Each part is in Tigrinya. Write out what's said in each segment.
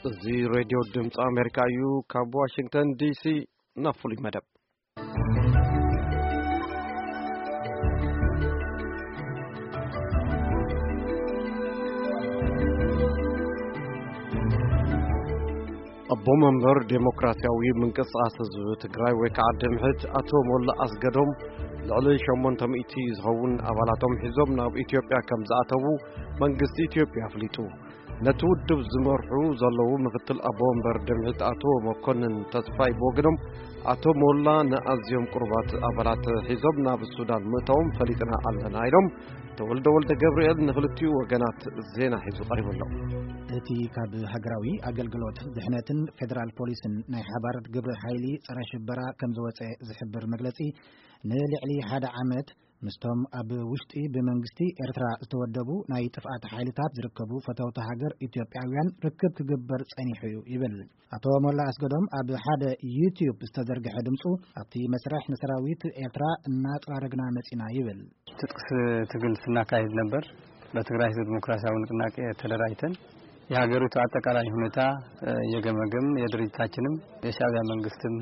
እዚ ሬድዮ ድምፂ ኣሜሪካ እዩ። ካብ ዋሽንግተን ዲሲ ናብ ፍሉይ መደብ። ኣቦ መንበር ዴሞክራሲያዊ ምንቅስቃስ ህዝቢ ትግራይ ወይ ከዓ ድምሕት ኣቶ ሞላ ኣስገዶም ልዕሊ ሸሞንተ ሚእቲ ዝኸውን ኣባላቶም ሒዞም ናብ ኢትዮጵያ ከም ዝኣተዉ መንግስቲ ኢትዮጵያ ኣፍሊጡ። ነቲ ውድብ ዝመርሑ ዘለዉ ምክትል ኣቦ ወንበር ድምሒት ኣቶ መኮንን ተስፋይ ብወገኖም፣ ኣቶ ሞላ ንኣዝዮም ቅሩባት ኣባላት ሒዞም ናብ ሱዳን ምእታዎም ፈሊጥና ኣለና ኢሎም። ተወልደ ወልደ ገብርኤል ንክልቲኡ ወገናት ዜና ሒዙ ቀሪቡ ኣሎ። እቲ ካብ ሃገራዊ ኣገልግሎት ድሕነትን ፌደራል ፖሊስን ናይ ሓባር ግብረ ሓይሊ ጸረ ሽበራ ከም ዝወጸ ዝሕብር መግለጺ፣ ንልዕሊ ሓደ ዓመት ምስቶም ኣብ ውሽጢ ብመንግስቲ ኤርትራ ዝተወደቡ ናይ ጥፍኣት ሓይልታት ዝርከቡ ፈተውቲ ሃገር ኢትዮጵያውያን ርክብ ክግበር ጸኒሑ እዩ ይብል። ኣቶ ሞላ ኣስገዶም ኣብ ሓደ ዩትዩብ ዝተዘርግሐ ድምፁ፣ ኣብቲ መስርሕ ንሰራዊት ኤርትራ እናጸራረግና መጺና ይብል። ትጥቅ ስ-፣ ትግል ስናካሄድ ነበር። በትግራይ ህዝብ ዲሞክራሲያዊ ንቅናቄ ተደራጅተን የሀገሪቱ አጠቃላይ ሁኔታ፣ እ፣ የገመገም የድርጅታችንም የሻዕቢያ መንግስትም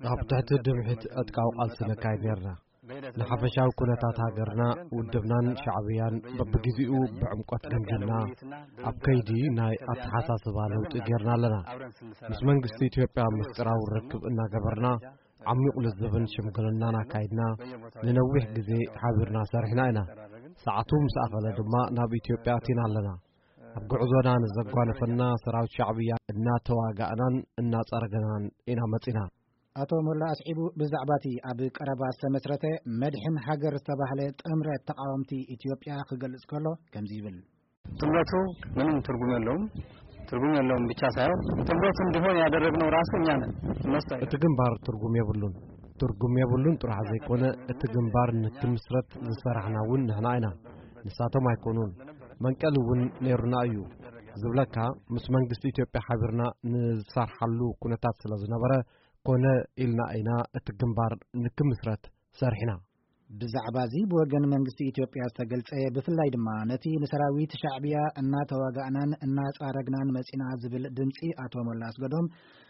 ኣብ ትሕቲ ድምሒት ዕጥቃዊ ቃልሲ ነካይድ ነርና። ንሓፈሻዊ ኩነታት ሃገርና፣ ውድብናን ሻዕብያን በብግዜኡ ብዕምቆት ገምጊምና፣ ኣብ ከይዲ ናይ ኣተሓሳስባ ለውጢ ጌርና ኣለና። ምስ መንግስቲ ኢትዮጵያ ምስጢራዊ ርክብ እናገበርና፣ ዓሚቕ ልዝብን ሽምግልናን ኣካይድና፣ ንነዊሕ ግዜ ሓቢርና ሰሪሕና ኢና። ሰዓቱ ምስ ኣኸለ ድማ ናብ ኢትዮጵያ ኣቲና ኣለና። ኣብ ጉዕዞና ንዘጓነፈና ሰራዊት ሻዕብያ እናተዋጋእናን እናጸረገናን ኢና መጺና። ኣቶ ሞላ ኣስዒቡ፣ ብዛዕባ እቲ ኣብ ቀረባ ዝተመስረተ መድሕን ሃገር ዝተባህለ ጥምረት ተቃወምቲ ኢትዮጵያ ክገልጽ ከሎ ከምዚ ይብል። ጥምረቱ ምንም ትርጉም የለውም። ትርጉም የለውም ብቻ ሳይሆን ጥምረቱ እንዲሆን ያደረግነው ራሱ እኛ ነን። እነሱ አይደለም። እቲ ግንባር ትርጉም የብሉን። ትርጉም የብሉን ጥራሕ ዘይኮነ፣ እቲ ግንባር ንክምስረት ዝሰራሕና እውን ንሕና ኢና። ንሳቶም ኣይኮኑን። መንቀሊ እውን ነይሩና እዩ። ዝብለካ፣ ምስ መንግስቲ ኢትዮጵያ ሓቢርና ንሰርሓሉ ኩነታት ስለ ዝነበረ፣ ኮነ ኢልና ኢና እቲ ግንባር ንክምስረት ሰሪሕና። ብዛዕባ እዚ ብወገን መንግስቲ ኢትዮጵያ ዝተገልጸ፣ ብፍላይ ድማ ነቲ ንሰራዊት ሻዕብያ እናተዋጋእናን እናጻረግናን መጺና ዝብል ድምጺ ኣቶ ሞላ ኣስገዶም፣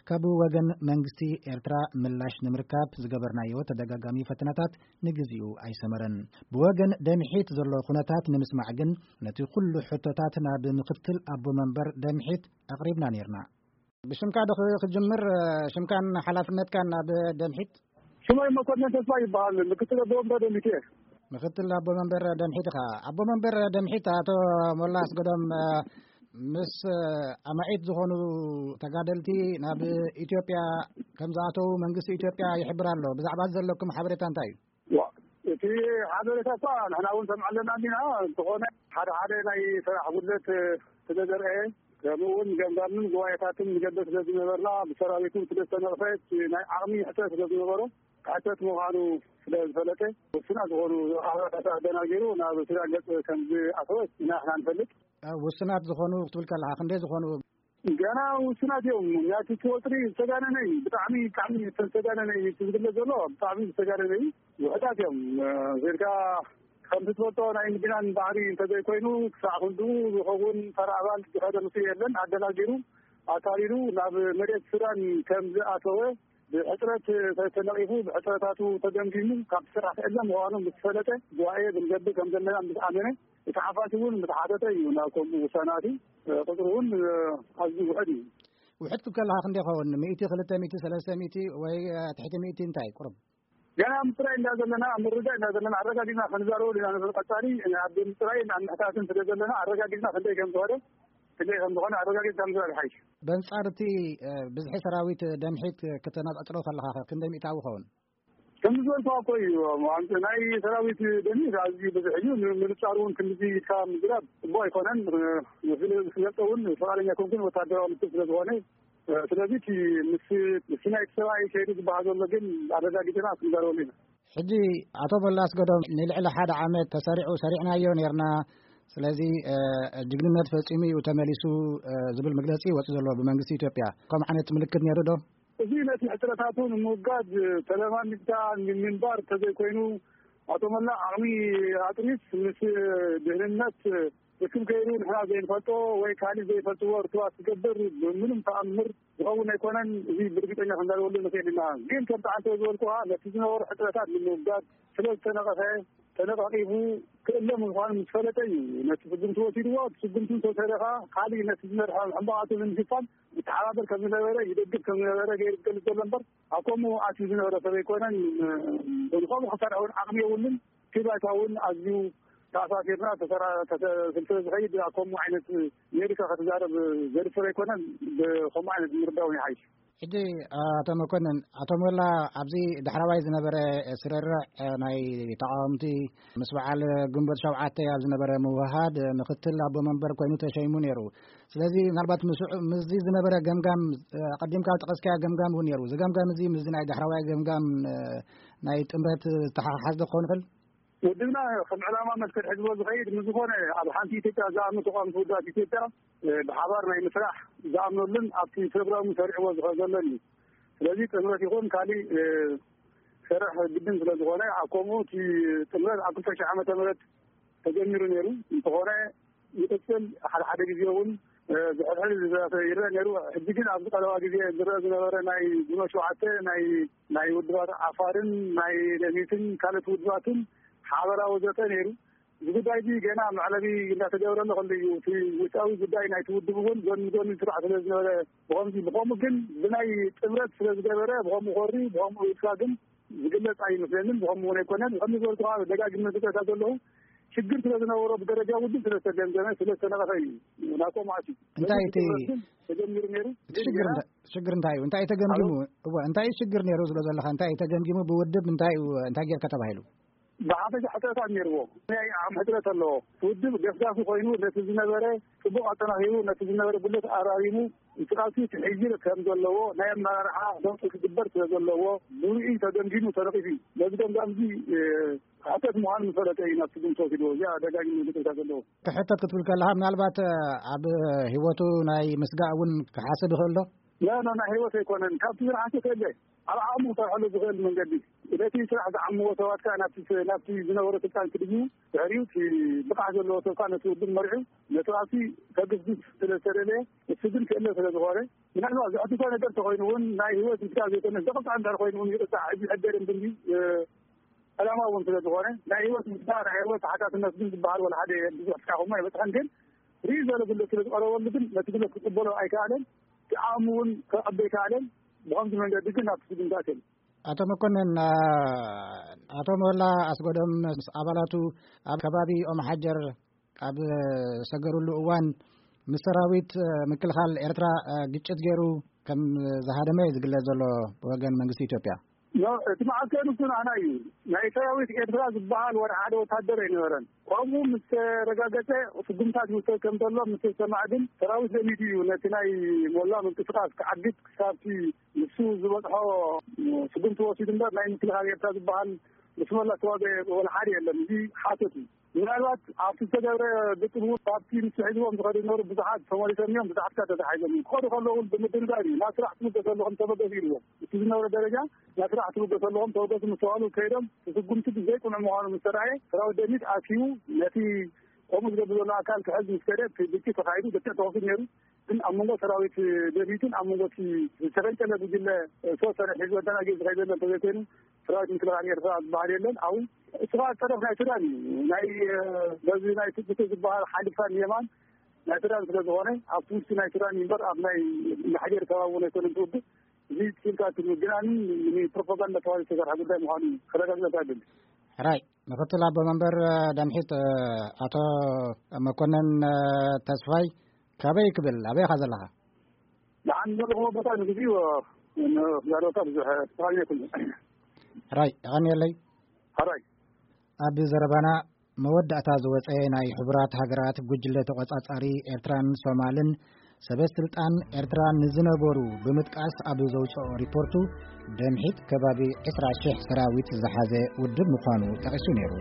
ካብ ወገን መንግስቲ ኤርትራ ምላሽ ንምርካብ ዝገበርናዮ ተደጋጋሚ ፈተነታት ንግዚኡ ኣይሰመረን። ብወገን ደምሒት ዘሎ ኩነታት ንምስማዕ ግን፣ ነቲ ኩሉ ሕቶታት ናብ ምክትል ኣቦ መንበር ደምሒት ኣቕሪብና ኔርና። ብሽምካ ዶ ክ-፣ ክጅምር፣ ሽምካን ሓላፍነትካን ኣብ ደምሒት? ሽመይ መኮንን ተስፋ ይበሃል። ምክትል ኣቦ ወንበር ደምሒት እየ። ምክትል ኣቦ መንበር ደምሒት ኢኻ። ኣቦ መንበር ደምሒት ኣቶ ሞላ ኣስገዶም፣ ምስ ኣማኢት ዝኾኑ ተጋደልቲ ናብ ኢትዮጵያ ከም ዝኣተዉ መንግስቲ ኢትዮጵያ ይሕብር ኣሎ። ብዛዕባ እዚ ዘለኩም ሓበሬታ እንታይ እዩ? ዋ፣ እቲ ሓበሬታ እኳ ንሕና እውን ሰምዕ ኣለና እንዲና፣ እንተኾነ ሓደ ሓደ ናይ ስራሕ ጉድለት ስለ ዘርአየ፣ ከምኡ እውን ገምጋምን ጉባኤታትን ንገብር ስለ ዝነበርና፣ ብሰራዊቱ ስለ ዝተነቕፈ፣ እቲ ናይ ዓቕሚ ሕጽረት ስለ ዝነበሮ፣ ክሕተት ምዃኑ ስለ ዝፈለጠ፣ ውሱናት ዝኾኑ ሓበሬታታት ኣደናጊሩ ናብ ሱዳን ገጽ ከም ዝኣተወ ኢና ንሕና ንፈልጥ። ኣብ ውሱናት ዝኾኑ ክትብል ከለኻ፣ ክንደይ ዝኾኑ? ገና ውሱናት እዮም። ናቲ እቲ ወጥሪ ዝተጋነነ እዩ። ብጣዕሚ፣ ብጣዕሚ ዝተጋነነ እዩ። እቲ ዝግለጽ ዘሎ ብጣዕሚ ዝተጋነነ እዩ። ውሑዳት እዮም። እ፣ ጌርካ ከምቲ ትፈልጦ ናይ ምድናን ባህሪ እንተዘይኮይኑ፣ ክሳዕ ክንድኡ ዝኸውን ተራ ኣባል ዝኸደ ምስ የለን። ኣደናጊሩ፣ ኣታሊሉ ናብ መሬት ሱዳን ከም ዝኣተወ ብሕጽረት ተነቒፉ፣ ብሕጽረታቱ ተገምጊሙ፣ ካብ ስራሕ ክእለ ምዃኑ ምስ ፈለጠ፣ ጉባኤ ክንገብር ከም ዘለና ምስ ኣመነ፣ እቲ ሓፋሽ እውን ምስ ሓተተ እዩ ናብ ከምኡ ውሳነ ኣትዩ። ቁጽሩ እውን ኣዝዩ ውሑድ እዩ። ውሑድ ክብል ከለኻ ክንደይ ይኸውን? ሚእቲ፣ ክልተ ሚእቲ፣ ሰለስተ ሚእቲ ወይ፣ እ፣ ትሕቲ ሚእቲ እንታይ? ቁሩብ። ገና ኣብ ምጽራይ እንዳ ዘለና፣ ኣብ ምርዳእ እንዳ ዘለና፣ ኣረጋጊጽና ክንዛረበሉ ኢና ንብል። ቀጻሊ ኣብ ምጽራይን ኣብ ምሕታትን ስለ ዘለና፣ ኣረጋጊጽና ክንደይ ከም ዝኾነ፣ ክንደይ ከም ዝኾነ ኣረጋጊጽና ምዝራብ ይሓይሽ። በንጻር እቲ፣ እ፣ ብዝሒ ሰራዊት ደምሒት ክተነጻጽሮ ከለኻ፣ ክንደይ ሚእታዊ ይኸውን? ከም ዝበልኩኻ እኮ እዩ፣ ኣንተ ናይ ሰራዊት ደምሒት ኣዝዩ ብዙሕ እዩ። ን-፣ ምንጻሩ እውን ክንድዚ ኢልካ ምዝራብ ጽቡቕ ኣይኮነን። እ፣ ክገልጾ እውን ፍቓደኛ ኣይኮንኩን፣ ወታደራዊ ምክር ስለ ዝኾነ። እ፣ ስለዚ እቲ ምስ፣ ምስ ናይቲ ሰብኣይ ከይዱ ዝበሃል ዘሎ ግን ኣረጋጊጽና ክንዛረበሉ ኢና። ሕጂ ኣቶ ሞላ ኣስገዶም፣ ንልዕሊ ሓደ ዓመት ተሰሪዑ ሰሪዕናዮ ኔርና፣ ስለዚ፣ እ፣ ጅግንነት ፈጺሙ እዩ ተመሊሱ፣ እ፣ ዝብል መግለጺ ወጺኡ ዘሎ ብመንግስቲ ኢትዮጵያ። ከምኡ ዓይነት ምልክት ኔሩ ዶ? እዚ ነቲ ሕጽረታቱ ንምውጋድ ተለማሚድካ ንምንባር እንተዘይኮይኑ፣ ኣቶ ሞላ ዓቕሚ ኣጥሪስ ምስ ድህንነት ርክብ ገይሩ ንሕና ዘይንፈልጦ ወይ ካልእ ዘይፈልጥዎ ርክባት ክገብር ብምንም ተኣምር ዝኸውን ኣይኮነን። እዚ ብርግፀኛ ክንዛረበሉ ንኽእል ኢና። ግን ከምቲ ዓንተ ዝበልኩኻ ነቲ ዝነበሩ ሕፅረታት ንምውጋድ ስለ ዝተነቐፈ ተነቓቂፉ ክእለ ምዃኑ ምስ ፈለጠ እዩ ነቲ ስጉምቲ ወሲድዎ። እቲ ስጉምቲ እንተወሰደ ከዓ ካልእ ነቲ ዝመርሐ ሕማቓቱ ንምሽፋን ይተሓባበር ከም ዝነበረ ይደግፍ ከም ዝነበረ ገይሩ ዝገልፅ ዘሎ እምበር ኣብ ከምኡ ኣትዩ ዝነበረ ሰብ ኣይኮነን። ንኸምኡ ክሰርሕ እውን ዓቕሚ የብሉን። እቲ ባይታ እውን ኣዝዩ ተኣሳሲርና ስለ ዝኸይድ ኣብ ከምኡ ዓይነት ሜሪካ ክትዛረብ ዘድፍር ኣይኮነን። ብከምኡ ዓይነት ምርዳው ይሓይሽ። ሕጂ ኣቶ መኮንን፣ ኣቶ ሞላ ኣብዚ ዳሕረዋይ ዝነበረ ስርርዕ ናይ ተቃወምቲ ምስ በዓል ግንቦት ሸውዓተ ኣብ ዝነበረ ምውሃድ ምክትል ኣቦ መንበር ኮይኑ ተሸይሙ ነይሩ። ስለዚ ምናልባት ምስዚ ዝነበረ ገምጋም ቀዲምካ ዝጠቀስካዮ ገምጋም እውን ነይሩ። እዚ ገምጋም እዚ ምስዚ ናይ ዳሕረዋይ ገምጋም ናይ ጥምረት ዝተሓሓዝ ዶ ክኸውን ይኽእል? ውድብና ከም ዕላማ መስቀል ሕዝቦ ዝኸይድ ምስ ዝኾነ ኣብ ሓንቲ ኢትዮጵያ ዝኣምኑ ተቃወምቲ ውድባት ኢትዮጵያ ብሓባር ናይ ምስራሕ ዝኣምነሉን ኣብቲ ፕሮግራሙ ሰሪዕዎ ዝኸ ዘሎን እዩ። ስለዚ ጥምረት ይኹን ካሊእ ክሰርሕ ግድን ስለ ዝኾነ ኣብ ከምኡ እቲ ጥምረት ኣብ ክልተ ሺሕ ዓመተ ምህረት ተጀሚሩ ነይሩ። እንተኾነ ይቕፅል ሓደ ሓደ ግዜ እውን ዝሕድሕድ ይረአ ነይሩ። ሕጂ ግን ኣብዚ ቀረባ ግዜ ዝረአ ዝነበረ ናይ ግንቦት ሸውዓተ ናይ ናይ ውድባት ዓፋርን ናይ ደሚትን ካልኦት ውድባትን ሓበራዊ ዘተ ነይሩ። እዚ ጉዳይ እዚ ገና መዕለቢ እንዳተገበረሉ ከሎ እዩ። እቲ ውሽጣዊ ጉዳይ ናይቲ ውድብ እውን ጎኒ ጎኒ ስራሕ ስለ ዝነበረ ብኸምዚ ብኸምኡ ግን ብናይ ጥምረት ስለ ዝገበረ ብኸምኡ ኮሪ ብኸምኡ ኢልካ ግን ዝግለፅ ኣይመስለንን። ብኸምኡ እውን ኣይኮነን። ከምዚ ዝበልኩ ከዓ ደጋግመ ዝጠታ ዘለኹ ሽግር ስለ ዝነበሮ ብደረጃ ውድብ ስለ ዝተገምገመ ስለ ዝተነቐፈ እዩ ናቆም ኣትዩ። እንታይ እቲ ተጀሚሩ ነይሩ። እቲ ሽግር እንታይ ሽግር እንታይ እዩ? እንታይ ተገምጊሙ? እወ እንታይ ሽግር ነይሩ ዝሎ ዘለካ እንታይ ተገምጊሙ? ብውድብ እንታይ እንታይ ጌርካ ተባሂሉ? ብሓፈሻ ሕፅረታት ነይርዎ። ናይ ዓቕሚ ሕፅረት ኣለዎ። ውድብ ገፍጋፊ ኮይኑ ነቲ ዝነበረ ፅቡቕ ኣጠናኺሩ ነቲ ዝነበረ ጉድለት ኣራሚሙ እንቅስቃሴ ክሕይል ከም ዘለዎ ናይ ኣመራርሓ ለውጢ ክግበር ስለ ዘለዎ ብርኡይ ተገምጊሙ ተነቒፉ እዩ። ነዚ ገምጋም እዚ ሓተት ምዃኑ ዝፈለጠ እዩ ናብ ስጉምቲ ወሲድዎ። እዚኣ ደጋጊሙ ዝቅርታ ዘለዎ። ክሕተት ክትብል ከለካ ምናልባት ኣብ ህይወቱ ናይ ምስጋእ እውን ክሓስብ ይኽእል ዶ? ላ ላ ናይ ህይወት ኣይኮነን። ካብቲ ዝረሓሰ ከለ ኣብ ዓቕሙ ክሰርሐሉ ዝኽእል መንገዲ ነቲ ስራሕ ዝዓምዎ ሰባት ከዓ ናብቲ ናብቲ ዝነበሮ ስልጣን ክድዩ ድሕሪኡ እቲ ብቕዓት ዘለዎ ሰብ ከዓ ነቲ ውድብ መሪሑ ነቲ ኣብቲ ከግስግስ ስለ ዝተደለየ እሱ ግን ክእለ ስለ ዝኾነ ምናልባት ዘሕትቶ ነገር ተኮይኑ እውን ናይ ህይወት ምስጋእ ዘይኮነ ዘቕፃዕ እንድሕር ኮይኑ እውን ይቕፃዕ። እዚ ሕደር እንድንዲ ዕላማ እውን ስለ ዝኾነ ናይ ህይወት ምስጋእ ናይ ህይወት ተሓታትነት ግን ዝበሃል ወላ ሓደ ብዙሕ ስካኹሞ ኣይበፅሐን። ግን ርኢ ዘሎ ግለት ስለ ዝቀረበሉ ግን ነቲ ግለት ክቅበሎ ኣይከኣለን። እቲ ዓቕሚ እውን ከቐበ ኣይከኣለን። ብኸምዚ መንገዲ ግን ናብቲ ስጉምቲ ኣትዮም። ኣቶ መኮንን፣ ኣቶ ሞላ ኣስጎዶም ምስ ኣባላቱ ኣብ ከባቢ ኦም ሓጀር ኣብ ዝሰገሩሉ እዋን ምስ ሰራዊት ምክልኻል ኤርትራ ግጭት ገይሩ ከም ዝሃደመ እዩ ዝግለጽ ዘሎ ብወገን መንግስቲ ኢትዮጵያ። ኖ፣ እቲ መዓከኒ እሱ ንዓና እዩ። ናይ ሰራዊት ኤርትራ ዝበሃል ወላ ሓደ ወታደር ኣይነበረን። ከምኡ ምስ ተረጋገጸ ስጉምታት ይውሰድ ከም ዘሎ ምስ ተሰማዕ ግን ሰራዊት ደሚቱ እዩ ነቲ ናይ ሞላ ምንቅስቃስ ክዓግት ክሳብቲ ንሱ ዝበጽሖ ስጉምቲ ወሲዱ እምበር ናይ ምክልኻል ኤርትራ ዝበሃል ምስ ሞላ ዝተዋገ ወላ ሓደ የለን። እዚ ሓሶት እዩ። ምናልባት ኣብቲ ዝተገብረ ብጥቡ ካብቲ ንሱ ሒዝዎም ዝኸዱ ዝነበሩ ብዙሓት ተመሊሶም እዮም። ብዙሓት ከኣ ተታሒዞም እዮም። ክኸዱ ከለዉ እውን ብምድንጋር እዩ። ናብ ስራሕ ትምገሱ ኣለኹም ተበገሱ ኢልዎም። እቲ ዝነበረ ደረጃ ናብ ስራሕ ትምገሱ ኣለኹም ተበገሱ ምስ ተባህሉ ከይዶም እቲ ስጉምቲ ብዘይቅኑዕ ምዃኑ ምስ ተረኣየ ሰራዊት ደሚት ኣኪቡ ነቲ ከምኡ ዝገብር ዘሎ ኣካል ክሕዝ ምስ ከደ እቲ ግጭት ተኻይዱ። ገትዕ ተኸፊቱ ነይሩ። ግን ኣብ መንጎ ሰራዊት ደሚትን ኣብ መንጎ እቲ ዝተፈንጨለ ጉጅለ ዝተወሰነ ሒዝዎ ተናጊሩ ዝኸይድ ዘሎ እንተዘይኮይኑ ሰራዊት ምክልኻል ኤርትራ ዝበሃል የለን። ኣብኡ እሱ ከዓ ጠረፍ ናይ ሱዳን እዩ። ናይ በዚ ናይ ትብቱ ዝበሃል ሓሊፋ ንየማን ናይ ሱዳን ስለ ዝኾነ ኣብቲ ውሽጢ ናይ ሱዳን እዩ እምበር ኣብ ናይ ማሕጀር ከባቢ እውን ኣይኮነን ትውግእ። እዚ ትልካ ትምግናኒ ንፕሮፓጋንዳ ተባሂሉ ዝተሰርሐ ጉዳይ ምዃኑ ከረጋግጸካ ይደሊ። ሕራይ ምክትል ኣቦ መንበር ደምሒት ኣቶ መኮነን ተስፋይ ካበይ ክብል ኣበይ ኢኻ ዘለኻ? ንዓን ዘለኹዎ ቦታ ንግዚኡ ዛረባታ ብዙሕ ተኻልዮ ኣይኮነን። ሕራይ የቐንየለይ። ሕራይ ኣብ ዘረባና መወዳእታ ዝወጸ ናይ ሕቡራት ሃገራት ጉጅለ ተቖጻጻሪ ኤርትራን ሶማልን ሰበ ስልጣን ኤርትራ ንዝነበሩ ብምጥቃስ ኣብ ዘውጽኦ ሪፖርቱ ደምሒት ከባቢ ዕስራ ሽሕ ሰራዊት ዝሓዘ ውድብ ምዃኑ ጠቒሱ ነይሩ።